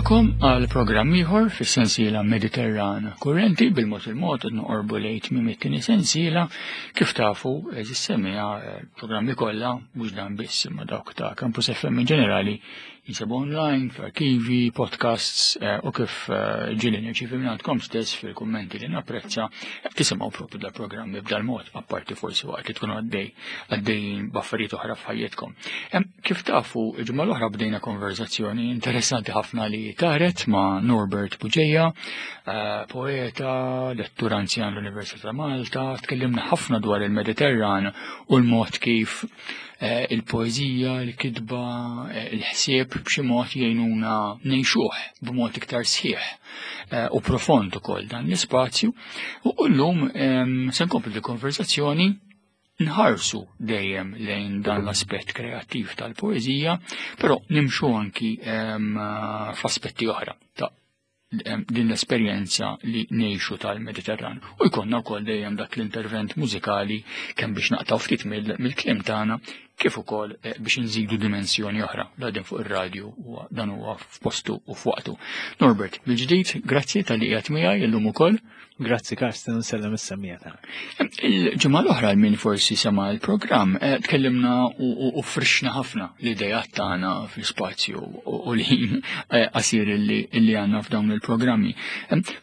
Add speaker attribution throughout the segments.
Speaker 1: Nilqakom għal programm ieħor fis-sensiela Mediterran Kurrenti bil-mod il-mod qed noqorbu lejn tmiem it-tieni sensiela kif tafu eżis semmiha eh, programmi kollha mhux dan biss imma dawk ta' Campus FM in ġenerali jinsabu online, f'arkivi, podcasts eh, u kif eh, ġieli nirċivi minn għandkom stess fil-kummenti li napprezza eh, tisimgħu propju dal-programmi b'dal-mod, apparti forsi waqt li tkunu għaddej għaddejjin b'affarijiet oħra f'ħajjitkom. Kif tafu, il-ġimgħa l-oħra bdejna konverzazzjoni interessanti ħafna li taret ma' Norbert Buġeja, poeta, lettur anzjan l-Università ta' Malta, tkellimna ħafna dwar il-Mediterran u l-mod kif Eh, il-poeżija, il-kitba, eh, il-ħsieb b'xi mod jgħinuna ngħixuh b'mod iktar sħiħ eh, u profond ukoll dan l-ispazju. U llum ehm, se nkomplu l-konversazzjoni nħarsu dejjem lejn dan l-aspett kreattiv tal-poeżija, però nimxu anki ehm, f'aspetti oħra ta' din l-esperjenza li ngħixu tal-Mediterran. U jkollna wkoll dejjem dak l-intervent mużikali kemm biex naqtaw ftit mill-kliem tagħna kif ukoll eh, biex nżidu dimensjoni oħra la din fuq ir-radju u dan huwa f'postu u f'waqtu. Norbert, mill-ġdid, grazzi tal-li qiegħed miegħi illum ukoll.
Speaker 2: Grazzi Karsten, nsellem is-semmija tagħna.
Speaker 1: Il-ġimgħa l-oħra min forsi sema l-programm eh, tkellimna u frixna ħafna l-idejat tagħna fl-ispazju u l-ħin eh, qasir li għandna f'dawn il-programmi.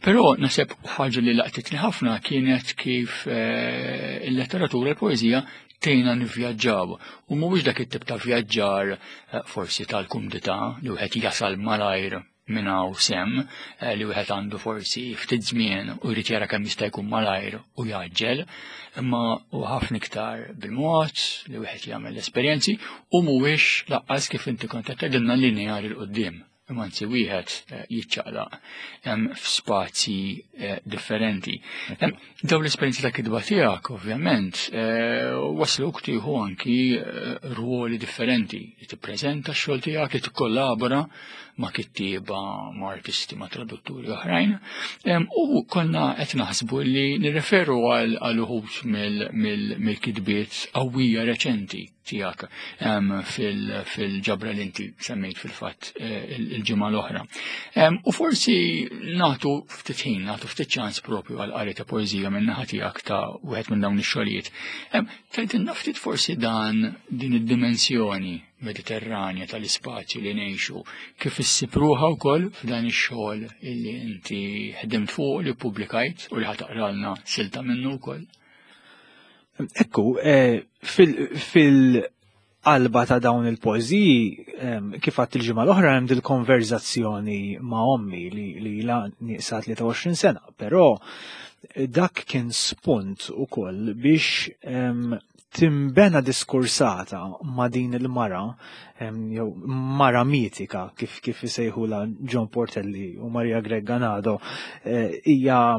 Speaker 1: Però naħseb ħaġa li laqtitni ħafna kienet kif eh, il-letteratura l-poeżija tgħinna nivvjaġġaw u mhuwiex dak it-tip ta' vjaġġar forsi tal-kumdità li wieħed jasal malajr minn hawn sem eh, li wieħed għandu forsi ftit żmien u jrid jara kemm jista' jkun malajr u jaġġel, imma u ħafna iktar bil-mod li wieħed jagħmel l-esperjenzi u mhuwiex laqqas kif inti kont qed tgħidilna lineari l qudiem imma anzi wieħed eh, jiċċaqlaq f'spazji eh, differenti. Daw l-esperjenzi ta' kitba tiegħek ovvjament eh, wasluk tieħu anki eh, ruoli differenti li tippreżenta x-xogħol tiegħek li tikkollabora ma' kittieba, ma' artisti, ma' tradutturi oħrajn. U konna qed naħsbu li nirreferu għal uħud mill-kitbiet qawwija reċenti tiegħek fil-ġabra li inti semmejt fil-fatt eh, il-ġimgħa l-oħra. U forsi nagħtu ftit ħin, nagħtu ftit ċans propju għal qari ta' poeżija minn naħa tiegħek ta' wieħed minn dawn ix-xogħlijiet. Tgħidilna ftit forsi dan din id-dimensjoni mediterranja tal-ispazju li ngħixu kif issib ruħha wkoll f'dan ix-xogħol illi inti ħdimt fuq li ppubblikajt u li ħataqralna silta minnu wkoll.
Speaker 2: Ekku, eh, fil-qalba ta' dawn il-poeżiji, kif għadt il-ġimgħa l-oħra hemm dil-konverzazzjoni ma' ommi li la nieqsa 23 sena, però eh, dak kien spunt ukoll biex timbena diskursata ma' din il-mara, jew mara mitika kif kif isejħula John Portelli u Maria Greg Ganado, eh, hija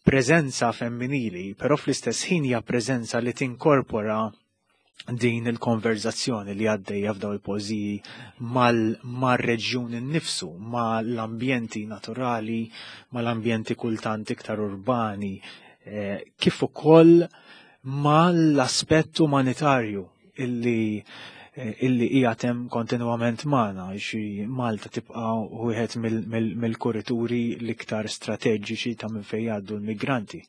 Speaker 2: preżenza femminili, però fl-istess ħin hija preżenza li tinkorpora din il-konverzazzjoni li għaddejja f'daw il-poeżiji mal-reġjun innifsu, mal-ambjenti naturali, mal-ambjenti kultant iktar urbani, eh, kif ukoll mal-aspett umanitarju illi eh, illi hija hemm kontinwament magħna xi Malta tibqa' wieħed mill-kurituri l-iktar strateġiċi ta' minn fejn jgħaddu l-migranti.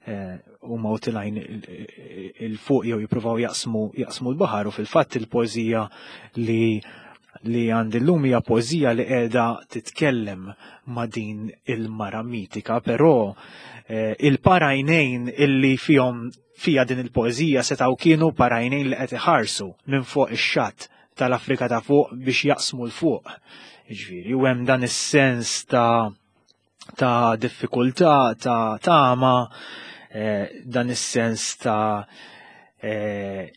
Speaker 2: Eh, huma u tilajn il-fuq jew jippruvaw jaqsmu jaqsmu l-baħar u fil-fatt il-poeżija li li għandi llum hija poeżija li qiegħda titkellem ma' din il-mara mitika, però eh, il-parajnejn illi fihom fija din il-poeżija setgħu kienu parajnejn li qed iħarsu minn fuq ix-xatt tal-Afrika ta' fuq biex jaqsmu l fuq. Ġifieri, u hemm dan is-sens ta' ta' diffikultà, ta' tama, eh, dan is-sens ta' eh,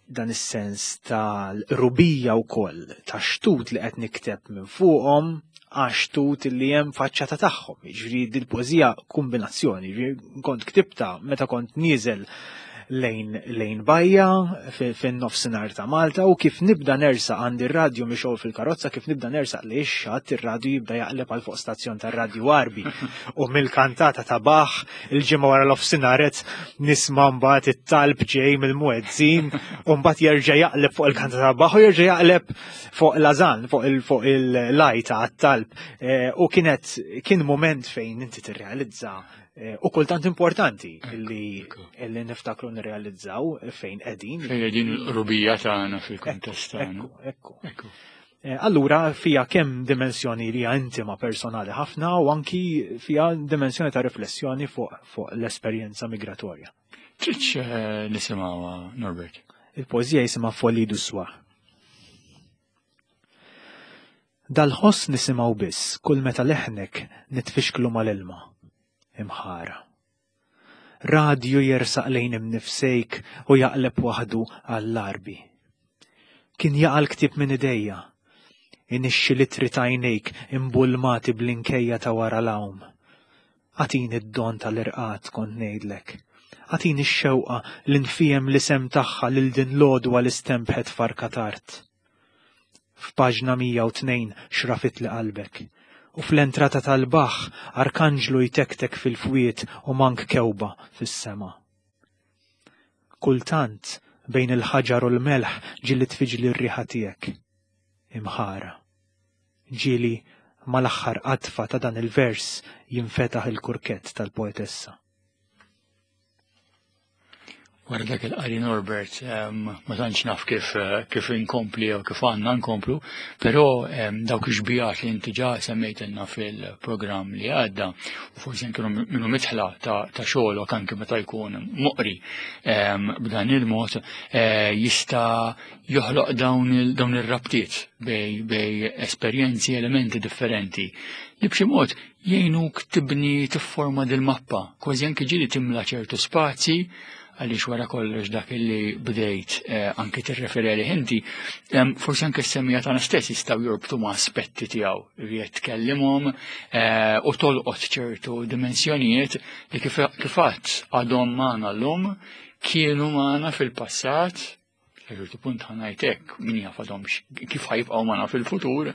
Speaker 2: dan is-sens ta' rubija wkoll ta' xtut li qed nikteb minn fuqhom għax xtut li hemm faċċata tagħhom. Jiġifieri dil-poeżija kombinazzjoni, jiġifieri kont ktibta meta kont nieżel lejn lejn bajja fin-nofsinhar ta' Malta u kif nibda nersaq għandi r-radju mixgħul fil-karozza kif nibda nersaq li x-xatt ir-radju jibda jaqleb għal fuq stazzjon tar-radju Għarbi u mill-kantata ta' Bach il-ġimgħa wara l-ofsinhar qed nisma' mbagħad it-talb ġej mill-muezzin u mbagħad jerġa' jaqleb fuq il-kantata ta' Bach u jerġa' jaqleb fuq l-azan fuq il-lajta għat-talb eh, u kienet kien moment fejn inti tirrealizza Eh, u kultant importanti li li niftakru nirrealizzaw fejn qegħdin.
Speaker 1: Fejn qegħdin il-qrubija tagħna fil-kuntest tagħna.
Speaker 2: Ekku, ekku. Eh, allura fija kemm dimensjoni li hija intima personali ħafna u anki fija dimensjoni ta' riflessjoni fuq fu l-esperjenza migratorja.
Speaker 1: Tridx eh, nisimgħuha Norbert?
Speaker 2: Il-poeżija jisimha Folie du soir. Dal-ħoss nisimgħu biss kull meta leħnek nitfixklu mal-ilma. Imħara. Radju jersaq lejn imnifsejk u jaqleb waħdu għall-Għarbi. Kien jaqa' l-ktieb minn idejja. Inixxi l-ittri t'għajnejk imbulmati bl-inkejja ta' wara l-għawm. Agħtini d-don tal-irqad kont ngħidlek. Agħtini x-xewqa li nfiehem l-isem tagħha lil din l-għodwa li stenbħet farka t'art. F'paġna 102 xrafitli qalbek. U fl-entrata tal-baħħ arkanġlu jtektek fil-fwied u mank kewba fis-sema. Kultant, bejn il-ħaġar u l-melħ ġieli tfiġli r-riħa tiegħek. Imħara. Ġieli mal-aħħar qadfa ta' dan il-vers jinfetaħ il-kurkett tal-poetessa.
Speaker 1: Wara dak il-qari Norbert, ma tantx naf kif eh, kif inkompli jew kif għandna nkomplu, però dawk ix-xbijat li inti ġa semmejtilna fil-programm li għadda, u forsi anke minnu mitħla ta' xogħolok anke meta jkun moqri b'dan il-mod eh, jista' joħloq dawn ir-rabtiet bej bej esperjenzi, elementi differenti li b'xi mod jgħinuk tibni tifforma dil-mappa, kważi anki ġieli timla ċertu spazji għaliex wara kollox dak li bdejt eh, anki tirreferi għalih inti, forsi anke s-semmija tagħna stess jistgħu jorbtu ma' aspetti tiegħu li qed tkellimhom eh, u tolqot ċertu dimensjonijiet li kif għadd għadhom magħna llum kienu magħna fil-passat Sa ċertu punt ħanajt hekk, min jaf għadhomx kif ħajbqgħu magħna fil-futur,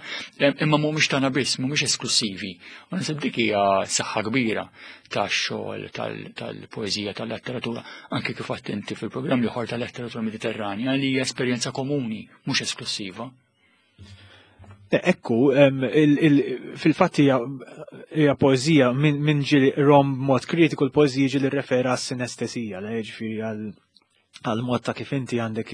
Speaker 1: imma mhumiex tagħna biss, mhumiex esklussivi. U naħseb dik hija saħħa kbira tax-xogħol tal-poeżija tal-letteratura, anke kif għadt inti fil-programm l-ieħor tal-letteratura Mediterranja li hija esperjenza komuni, mhux esklussiva.
Speaker 2: Ekku, fil-fatt hija poeżija minn ġieli rom mod kritiku l-poeżija ġieli rrefera għas-sinestesija, ġifieri għal għal mod ta' kif inti għandek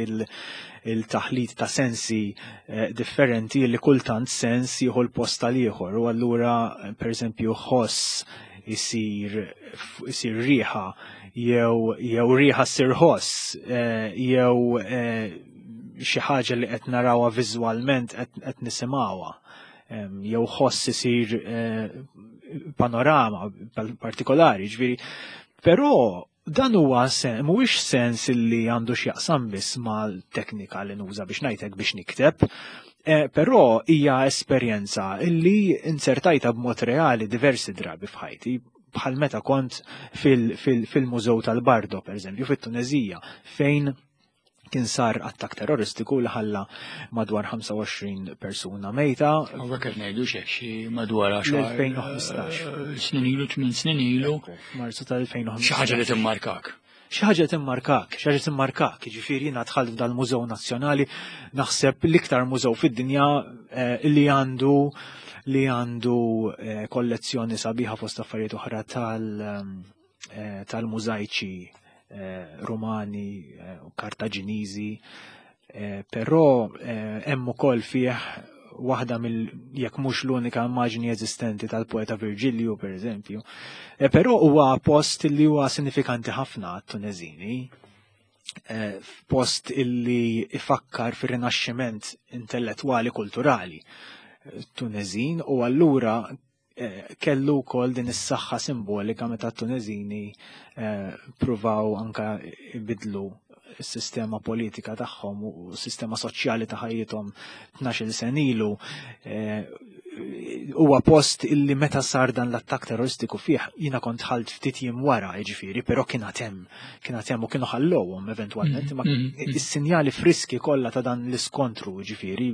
Speaker 2: il-taħlit ta' sensi eh, differenti li kultant sens jieħu l-post tal-ieħor u allura per eżempju ħoss isir isir riħa jew jew riħa ssir ħoss eh, jew eh, xi ħaġa li qed narawha viżwalment qed nisimgħuha jew ħoss isir panorama partikolari, ġifieri. Però Dan huwa sen, mhuwiex sens li għandu x'jaqsam biss mal-teknika li nuża biex ngħidlek biex nikteb, eh, però hija esperjenza li insertajta b'mod reali diversi drabi f'ħajti bħal meta kont fil-Mużew tal-Bardo, per eżempju, fit-Tunezija, fejn kien sar attak terroristiku li ħalla madwar 25 persuna mejta.
Speaker 1: Hawnhekk qed ngħidu xek xi madwar
Speaker 2: 10 2015.
Speaker 1: Eh, snin ilu, 8 snin ilu.
Speaker 2: Marzu tal-2015.
Speaker 1: Xi ħaġa li timmarkak.
Speaker 2: Xi ħaġa timmarkak, xi ħaġa timmarkak, jiġifieri jiena dħalt f'dal-Mużew Nazzjonali naħseb l-iktar mużew fid-dinja eh, li għandu li għandu eh, kollezzjoni sabiħa fost affarijiet oħra tal Eh, tal-mużajċi eh, Rumani eh, u Kartaġiniżi, però hemm ukoll fih waħda mill jekk mhux l-unika immaġni eżistenti tal-poeta Virgilju per eżempju. Però huwa post li huwa sinifikanti ħafna għat-Tuneżini, post illi ifakkar fir-rinaxximent intellettwali kulturali Tunezin u allura Eh, kellu wkoll din is-saħħa simbolika meta t-Tuneżini eh, pruvaw anka ibidlu s-sistema politika tagħhom u s-sistema soċjali ta' ħajjithom 12 sen ilu eh, Huwa post illi meta sar dan l-attakk terroristiku fih jiena kont ħalt ftit jiem wara, jiġifieri, però kien hemm, kien hemm u kienu ħallowhom eventwalment, imma is-sinjali friski kollha ta' dan l-iskontru, jiġifieri,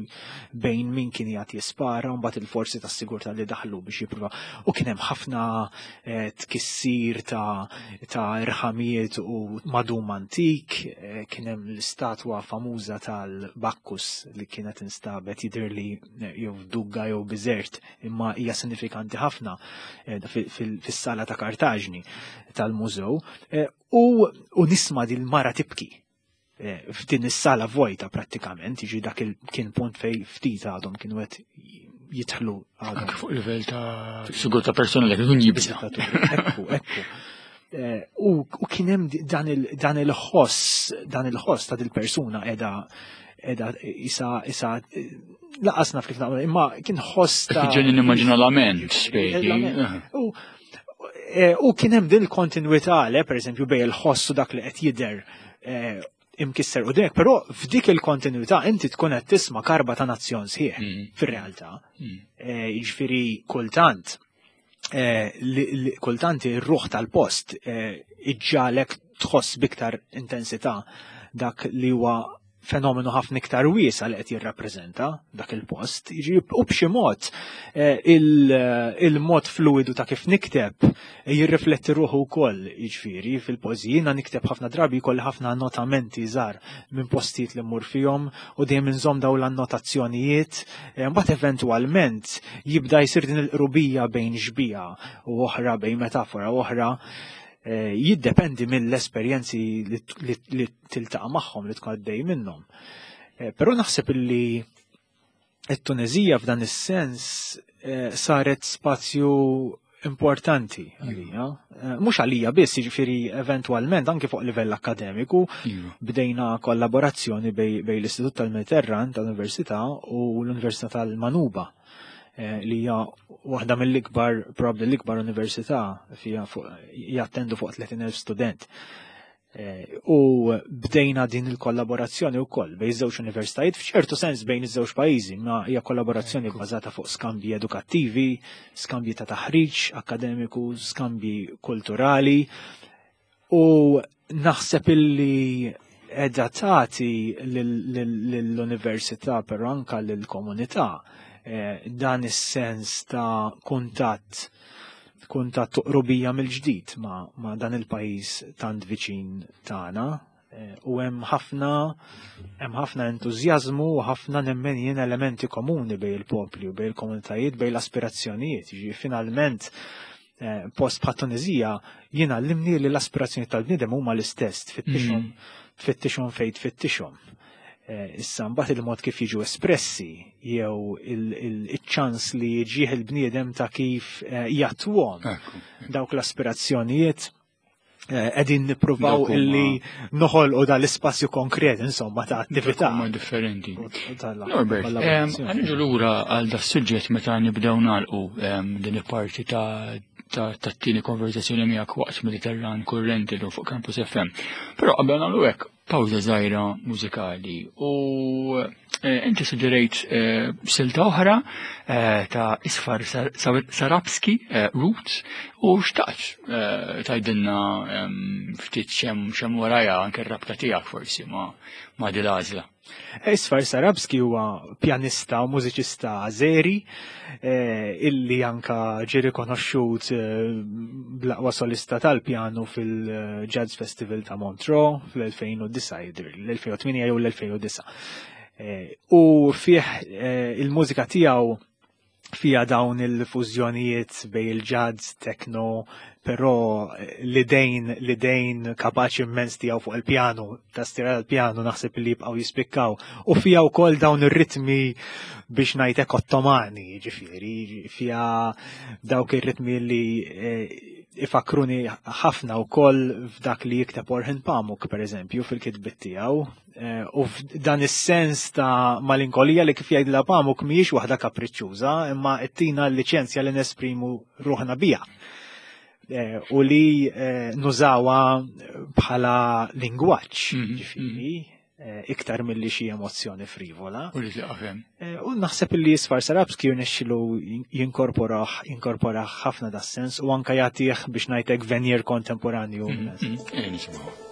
Speaker 2: bejn min kien jgħat jispara u mbagħad il-forzi tas-sigurtà li daħlu biex jippruvaw. U kien hemm ħafna tkissir ta' irħamijiet u madum antik, kien hemm l-istatwa famuża tal-Bakkus li kienet instabet jidhirli jew f'Dugga jew Biżert, imma hija sinifikanti ħafna fis-sala ta' Kartaġni tal-mużew, u nisma' din mara tibki f'din is-sala vojta prattikament, jiġi dak kien punt fej ftit għadhom kienu qed jidħlu
Speaker 1: għadhom. Anke fuq livell ta' sigurtà personali kien jibża.
Speaker 2: Ekku, ekku. U kien hemm dan il-ħoss, dan il-ħoss ta' dil-persuna qiegħda isa laqas naf kif naqbel, imma kien ħoss ta'
Speaker 1: Ġeni nimmaġina lament, spjegi.
Speaker 2: U kien hemm din il-kontinwità, le, per eżempju, bejn il-ħoss u dak li qed jidher imkisser u dek, però f'dik il-kontinuità inti tkun qed tisma' karba ta' nazzjon sħiħ fir-realtà. Jiġifieri kultant ir-ruħ tal-post iġġalek tħoss biktar intensità dak li huwa fenomenu ħafna iktar wiesa' li qed jirrappreżenta dak il-post. Jiġi u b'xi mod il-mod fluidu ta' kif nikteb jirrifletti ruħu wkoll, jiġifieri fil-poeżiji jiena nikteb ħafna drabi jkolli ħafna annotamenti żgħar minn postijiet li mmur fihom u dejjem inżomm dawn l-annotazzjonijiet. Mbagħad eventwalment jibda jsir din il-qrubija bejn xbieha u oħra, bejn metafora u oħra. Jiddependi mill-esperjenzi li tiltaqa' magħhom, li tkun għaddej minnhom. Però naħseb illi it-Tunezija f'dan is-sens saret spazju importanti għalija. Mhux għalija biss, jiġifieri eventwalment anke fuq livell akademiku bdejna kollaborazzjoni bej l-Istitut tal-Mediterran tal-Università u l-Università tal-Manuba, li hija waħda mill-ikbar, probabbli l-ikbar università fija jattendu fuq 30,000 student. U bdejna din il-kollaborazzjoni wkoll bejn iż-żewġ universitajiet, f'ċertu sens bejn iż-żewġ pajjiżi, ma hija kollaborazzjoni bbażata fuq skambji edukattivi, skambji ta' taħriġ akademiku, skambji kulturali, u naħseb illi qiegħda tagħti lill-università però anka lill-komunità dan is-sens ta' kuntatt qrubija mill-ġdid ma' dan il-pajjiż tant viċin tagħna. U hemm ħafna entużjażmu u ħafna nemmen jien elementi komuni bejn il-popli u bejn il-komunitajiet, bejn l-aspirazzjonijiet. Jiġifieri finalment post bħat Tunizija jien għallimni li l-aspirazzjoni tal-bniedem huma l-istess, tfittixhom fejn tfittixhom. Issa mbagħad il-mod kif jiġu espressi jew il-ċans li jiġih il-bniedem ta' kif jatwhom dawk l-aspirazzjonijiet qegħdin nippruvaw
Speaker 1: Dawk huma
Speaker 2: illi noħolqu dal-ispazju konkret, insomma, ta' attività.
Speaker 1: Dawk huma differenti.
Speaker 2: U tal-
Speaker 1: Norbert,
Speaker 2: kollaborazzjoni.
Speaker 1: ħa niġu lura għal da suġġett meta nibdew nagħlqu din il-parti tat-tieni konversazzjoni miegħek waqt Mediterran Kurrenti fuq Campus FM. Però qabel nagħmlu hekk, pawża żgħira mużikali u inti suġġerejt silta oħra ta' Isfar Sarabski, Roots, u xtaqt tgħidilna ftit xem warajha anke r-rabta tiegħek forsi ma' din l-għażla.
Speaker 2: Isfar Sarabski huwa pjanista u mużiċista Azeri illi anka ġie rikonoxxut bl-aqwa solista tal-pjanu fil-Jazz Festival ta' Montreux fl-2009 jidher, l-2008 jew l-2009. U fih il-mużika tiegħu fija dawn il-fużjonijiet bejn il-jazz, techno, però l-idejn kapaċi immens tiegħu fuq il-pjanu, tastiera tal-pjanu naħseb li jibqgħu jispikkaw. U fija wkoll dawn ir-ritmi biex ngħidlek ottomani, ġifieri, fija dawk ir-ritmi li ifakruni ħafna wkoll f'dak li jikteb Orhan Pamuk, per eżempju, fil-kitbiet tiegħu. U f'dan is-sens ta' malinkolija li kif jgħidla Pamuk mhijiex waħda kapriċċuża, imma ttina l-liċenzja li nesprimu ruħna biha. U li nużawha bħala lingwaġġ, ġifieri. iktar milli xi emozzjoni frivola.
Speaker 1: U li tieqaf hemm.
Speaker 2: U naħseb li Isfar Sarabski jirnexxilu jinkorporah jinkorporah ħafna das-sens u anka jagħtih biex ngħidlek veneer kontemporanju.
Speaker 1: Nisimgħu.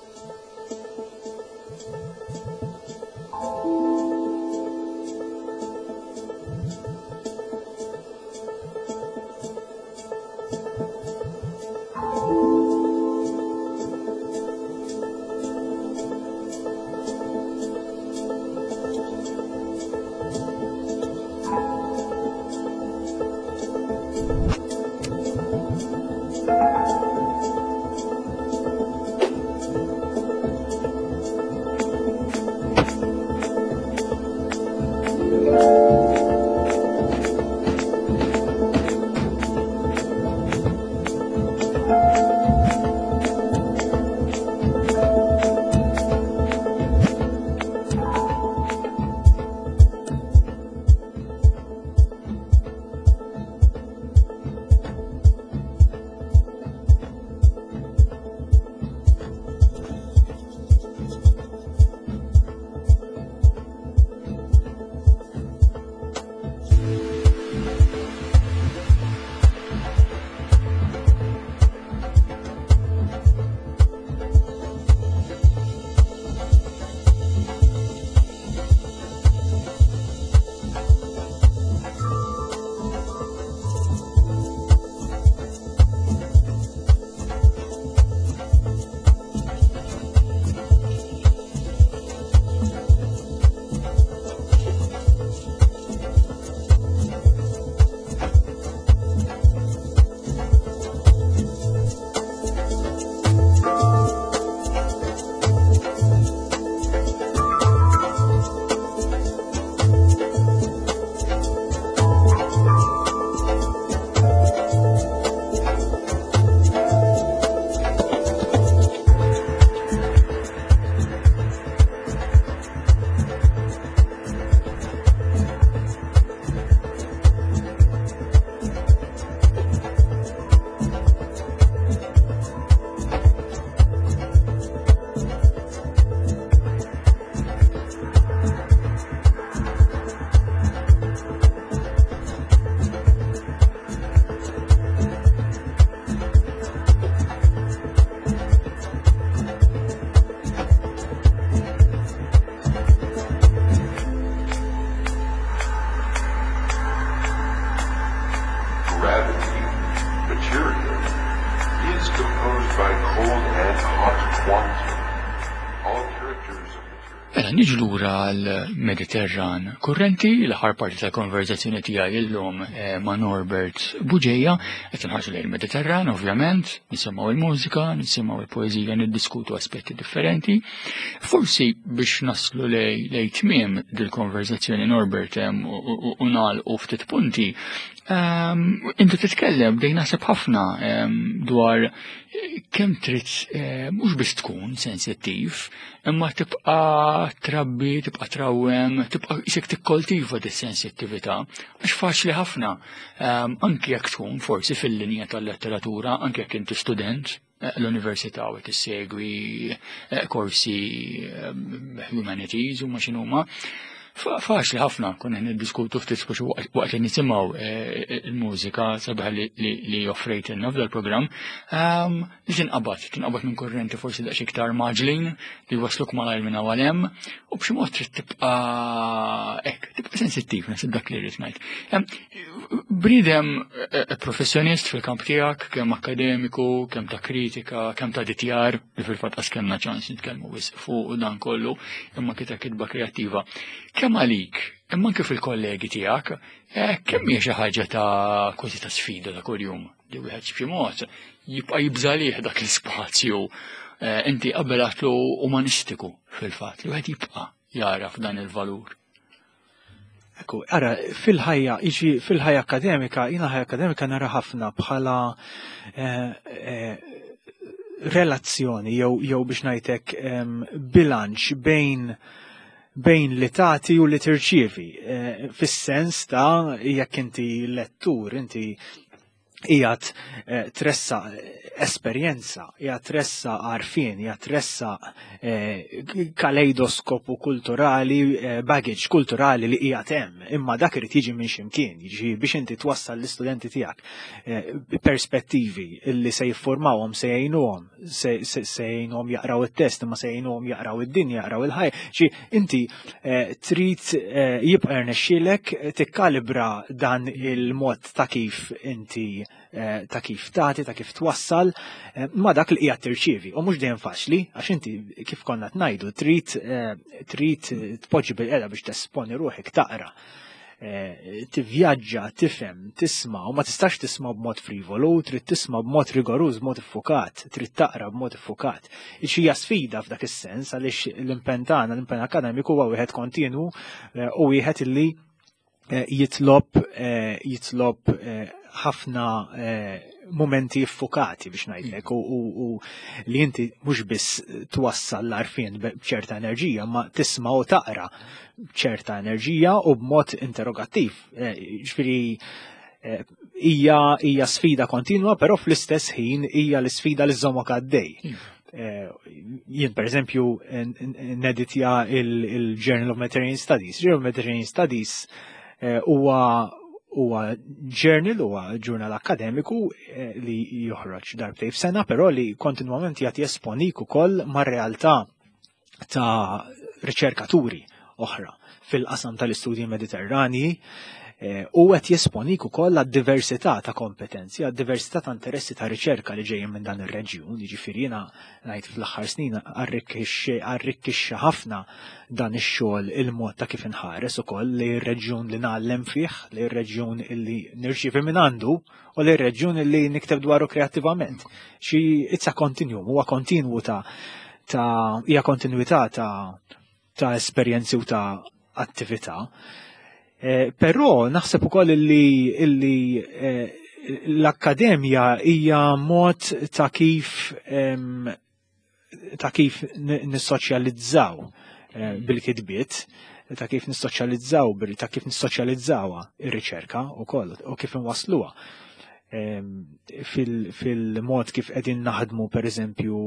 Speaker 3: Gravity, material, is composed by cold and hot quantum. All characters of material.
Speaker 1: Mela, niġu lura għal-Mediterran Kurrenti, l-aħħar parti tal-konverzazzjoni tiegħi illum ma' Norbert Bugeja, qed inħarsu lejn il-Mediterran, ovvjament, nisimgħu il-mużika, nisimgħu il-poeżija, niddiskutu aspetti differenti. Forsi biex naslu lej tmiem dil-konverzazzjoni Norbert u nagħlqu ftit punti, inti titkellem bdejn naħseb ħafna dwar kemm trid mhux biss tkun sensittiv, imma tibqa' trabbi, tibqa' trawwem, tibqa' isek tikkoltiva dis-sensittività, għax faċli ħafna, anki jekk tkun forsi fil-linja tal-letteratura, anki jekk inti student l-università u tissegwi korsi humanities u ma x'inhuma. Faċli ħafna konna niddiskutu ftit speċi waqt li nisimgħu il-mużika sabiħa li offrejtilna f'dal-programm, li tinqabad minn kurrenti forsi daqs iktar maġlin li wasluk malajr minn hawn għal hemm, u b'xi mod trid tibqa' hekk, tibqa' sensittiv, naħseb dak li rrid ngħid. Bniedem professjonist fil-kamp tiegħek, kemm akkademiku, kemm ta' kritika, kemm ta' ditjar, li fil-fatt qas kellna ċans nitkellmu wisq fuq dan kollu, imma kita kitba kreattiva. Kemm għalik, imma anke fil-kollegi tiegħek, kemm hija xi ħaġa ta' kważi ta' sfida ta' kuljum li wieħed b'xi mod jibqa' jibżalih dak l-ispazju, inti qabel għatlu umanistiku fil-fatt li wieħed jibqa' jara f'dan il-valur.
Speaker 2: Ekku, ara, fil-ħajja, iġi fil-ħajja akademika, jiena ħajja akademika nara ħafna bħala relazzjoni jew biex ngħidlek bilanċ bejn li tagħti u li tirċievi, fis-sens ta' jekk inti lettur, inti Qiegħed eh, tressaq esperjenza, qiegħed tressaq għarfien, qiegħed tressaq eh, kaleidoskopu kulturali, eh, baggage kulturali li qiegħed hemm, imma dak irid jiġi minn x'imkien, jiġi biex inti twassal l-istudenti tiegħek perspettivi illi se jiffurmawhom, se jgħinuhom, se jgħinuhom jaqraw it-test, imma se jgħinuhom jaqraw id-dinja, jaqraw il-ħajja. Xi inti trid jibqa' rnexxielek tikkalibra dan il-mod ta' kif inti eh, ta' kif tagħti, ta' kif twassal eh, ma' dak li qiegħed tirċievi. U mhux dejjem faċli, għax inti kif konna tnajdu trid eh, trid tpoġġi bil-qeda biex tesponi ruħek taqra tivvjaġġa, tifhem, tisma' u ma tistax tisma' b'mod frivolu, trid tisma' b'mod rigoruż, b'mod iffukat, trid taqra b'mod iffukat. Hija sfida f'dak is-sens għaliex l-impenn tagħna, l-impenn akademiku huwa wieħed kontinwu u wieħed illi Eh, jitlob eh, jitlob eh, ħafna momenti iffukati biex ngħidlek u li inti mhux biss twassal l-arfien b'ċerta enerġija, ma tisma' u taqra b'ċerta enerġija u b'mod interrogattiv. Ġifieri hija hija sfida kontinwa, però fl-istess ħin hija l-isfida li żommok għaddej. Iva. Jien per eżempju neditja il-Journal of Mediterranean Studies. Journal of Mediterranean Studies eh, huwa huwa journal, huwa ġurnal akademiku eh, li joħroġ darbtej f'sena, però li kontinwament jagħti esponik ukoll mar-realtà ta' riċerkaturi oħra fil-qasam tal-istudji mediterranji eh, u qed jesponik ukoll għad-diversità ta' kompetenzi, għad-diversità ta' interessi ta' riċerka li ġejjin minn dan ir-reġjun, jiġifieri jiena ngħid fl-aħħar snin arrikkixxa ħafna dan ix-xogħol il-mod ta' kif inħares ukoll li r-reġjun li ngħallem fih, li r-reġjun li nirċievi minn għandu u li r-reġjun li nikteb dwaru kreattivament. Xi it's a continuum, huwa kontinwu ta' ta' hija kontinwità ta' ta' esperjenzi u ta' attività. Eh, però naħseb ukoll illi, illi eh, l-akkademja hija mod ta' kif ta' kif nissoċjalizzaw eh, bil-kitbiet, ta' kif nissoċjalizzaw ta' kif nissoċjalizzawha ir-riċerka wkoll u kif inwassluha. Fil-mod kif qegħdin naħdmu pereżempju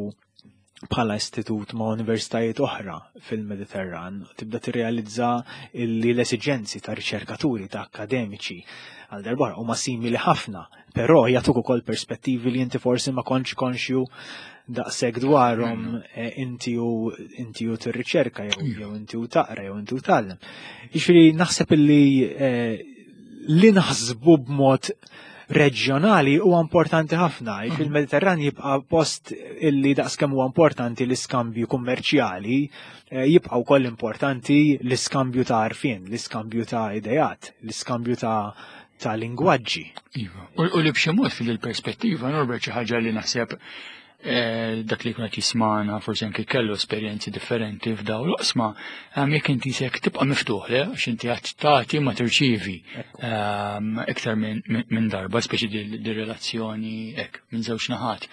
Speaker 2: bħala istitut ma' universitajiet oħra fil-Mediterran, tibda tirrealizza li l-esiġenzi ta' riċerkaturi, ta' akademiċi għal darba huma simili ħafna, però jagħtuk ukoll perspettivi li inti forsi ma kontx konxju daqshekk dwarhom mm. eh, inti u inti u tirriċerka jew mm. jew inti u taqra jew inti u tgħallem. Jiġifieri naħseb illi eh, li naħsbu b'mod reġjonali huwa importanti ħafna. Mhm. Il-Mediterran jibqa' post illi daqskemm huwa importanti l-iskambju kummerċjali, eh, jibqa' wkoll importanti l-iskambju ta' għarfien, l-iskambju ta' ideat, l-iskambju ta' ta' lingwaġġi.
Speaker 1: Iva. U li b'xi mod fil-perspettiva, Norbert xi ħaġa li naħseb Eh, dak li jkun qed jismana forsi anke kellu esperjenzi differenti f'daw l-oqsma, ehm, jekk inti sek tibqa' miftuħ le għax inti qed tagħti ma tirċievi ehm, iktar minn darba, speċi di relazzjoni hekk minn żewġ naħat.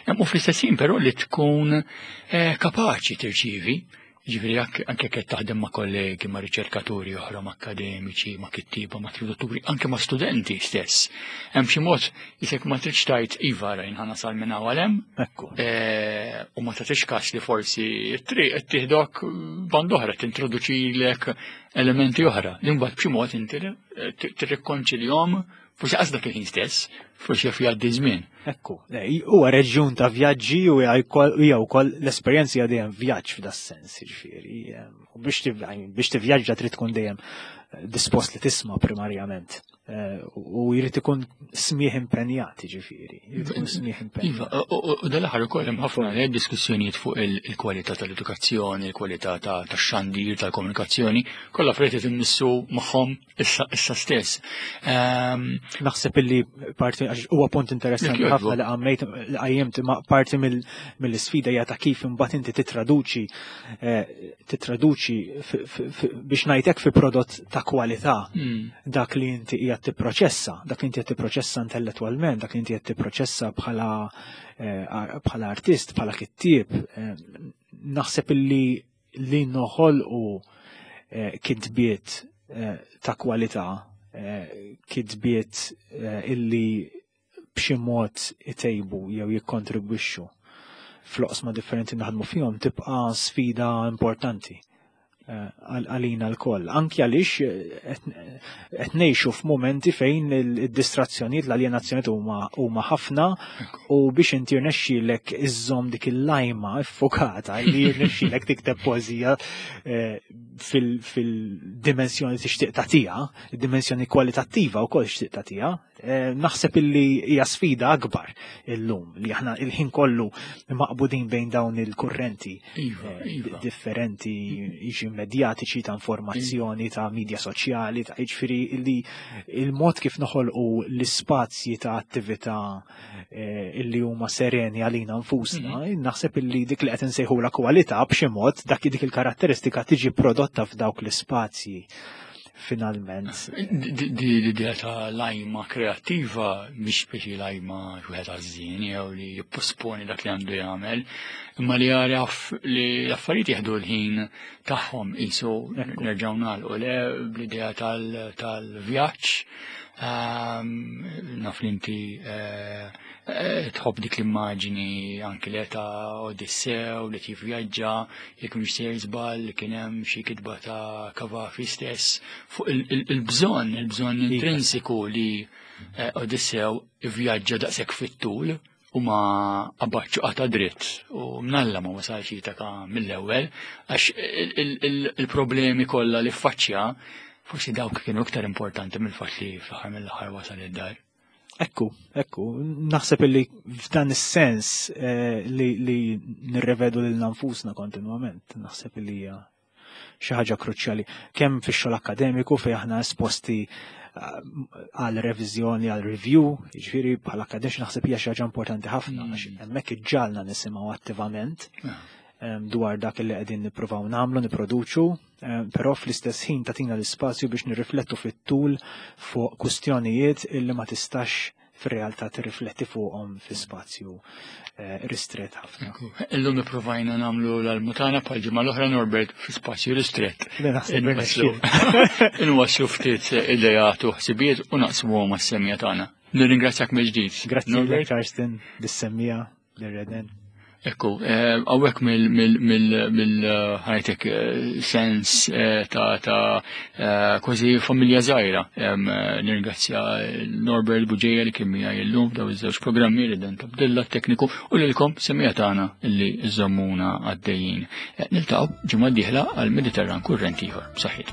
Speaker 1: Ehm, u fl-istess ħin però li tkun eh, kapaċi tirċievi Ġifieri anke qed taħdem ma' kollegi, ma' riċerkaturi oħra, ma' akademiċi, ma' kittieba, ma' tradutturi, anke ma' studenti stess. Hemm xi mod isek ma tridx tgħid iva rajn ħa nasal minn hawn hemm.
Speaker 2: Ekku.
Speaker 1: Eh, u ma tagħtix każ li forsi t-triq qed tieħdok band oħra tintroduċilek elementi oħra. Li mbagħad b'xi mod inti eh, tirrikkonċiljhom Forsi qas dak il-ħin stess, forsi jaf jgħaddi żmien.
Speaker 2: Ekku, huwa reġjun ta' vjaġġi u hija wkoll l-esperjenza hija dejjem vjaġġ f'da sens, jiġifieri. U biex tivvjaġġa trid tkun dejjem eh, dispost li tisma' primarjament. Eh, u jrid ikun smieħ impenjat, jiġifieri. Jrid ikun smieħ impenjat.
Speaker 1: Iva, u dal-aħħar ukoll hemm ħafna eh, diskussjonijiet fuq il-kwalità tal-edukazzjoni, il-kwalità tax-xandir, tal-komunikazzjoni, kollha affarijiet qed immissu magħhom issa issa stess.
Speaker 2: Ehm, Naħseb illi parti għax huwa punt interessanti ħafna li għammejt li qajjimt ma parti mill-isfida hija ta' kif imbagħad inti titraduċi eh, titraduċi biex ngħidlek fi prodott ta' kwalità hmm. dak li inti qiegħed tipproċessa, dak li inti qed tipproċessa intellettwalment, dak li inti qed tipproċessa bħala eh, bħala artist, bħala kittieb, eh, naħseb illi li noħolqu eh, kitbiet eh, ta' kwalità, eh, kitbiet illi b'xi mod itejbu jew jikkontribwixxu fl-oqsma differenti naħdmu fihom tibqa' sfida importanti għalina l-koll. Anki għaliex qed ngħixu f'mumenti fejn id-distrazzjonijiet, l-aljenazzjonijiet huma ħafna u biex inti jirnexxielek iżżomm dik il-lajma iffokata li jirnexxielek tikteb poeżija fil-dimensjoni tixtieq tagħtiha, id-dimensjoni kwalitattiva wkoll tixtieq tagħtiha, naħseb illi hija sfida akbar illum li aħna il-ħin kollu maqbudin bejn dawn il-kurrenti differenti jiġi medjatiċi ta' informazzjoni, ta' media soċjali, ta' jiġifieri li il-mod kif noħolqu l-ispazji ta' attività illi huma sereni għalina nfusna, naħseb illi dik li qed insejħula kwalità b'xi mod dak dik il-karatteristika tiġi prodotta f'dawk l-ispazji finalment.
Speaker 1: Di l-idea ta' lajma kreattiva mhix biex lajma wieħed għażżien jew li jipposponi dak li għandu jagħmel, imma li jaraf li l-affarijiet jieħdu l-ħin tagħhom qisu nerġgħu nagħlqu le bl-idea tal-vjaġġ. Naf li inti tħobb dik l-immaġini anki li ta' Odissew li kif vjaġġa, jekk mhux sejjer żball kien hemm xi kitba ta' Cavafy stess fuq il-bżonn, il-bżonn intrinsiku li Odissew ivvjaġġa daqshekk fit-tul u ma qabadx qata' dritt u mnalla ma wasalx Itaka mill-ewwel għax il-problemi kollha li ffaċċja forsi dawk kienu iktar importanti mill-fatt li fl-aħħar mill-aħħar wasal id-dar.
Speaker 2: Ekku, ekku, naħseb illi f'dan is-sens li nirrevedu lil nfusna kontinwament, naħseb illi hija xi ħaġa kruċjali kemm fix-xogħol akkademiku fejn aħna esposti għal reviżjoni, għal review, jiġifieri bħala akademiċi naħseb hija xi ħaġa importanti ħafna għax hemmhekk iġġalna nisimgħu attivament dwar dak li qegħdin nippruvaw nagħmlu, nipproduċu, però fl-istess ħin tagħtina l-ispazju biex nirriflettu fit-tul fuq kwistjonijiet illi ma tistax fir-realtà tirrifletti fuqhom fi spazju ristret ħafna.
Speaker 1: Illum ippruvajna nagħmlu l-almutana bħal ġimgħa l-oħra Norbert fi spazju ristret. Inwasslu ftit idejat u ħsibijiet u naqsmuhom mas-semija tagħna. Nirringrazzjak mill-ġdid.
Speaker 2: Grazzi Norbert. Karsten, bis-semmija lir-Reden.
Speaker 1: Ekku, għawek mill-ħajtek sens ta' kważi familja żgħira. Nirringrazzja Norbert Bugeja li kien miegħi llum f'daw iż-żewġ programmi li dan tabdilla tekniku u lilkom semija tagħna li żommuna għaddejjin. Niltaqgħu ġimgħa d-dieħla għal Mediterran Kurrent ieħor. Saħħiet.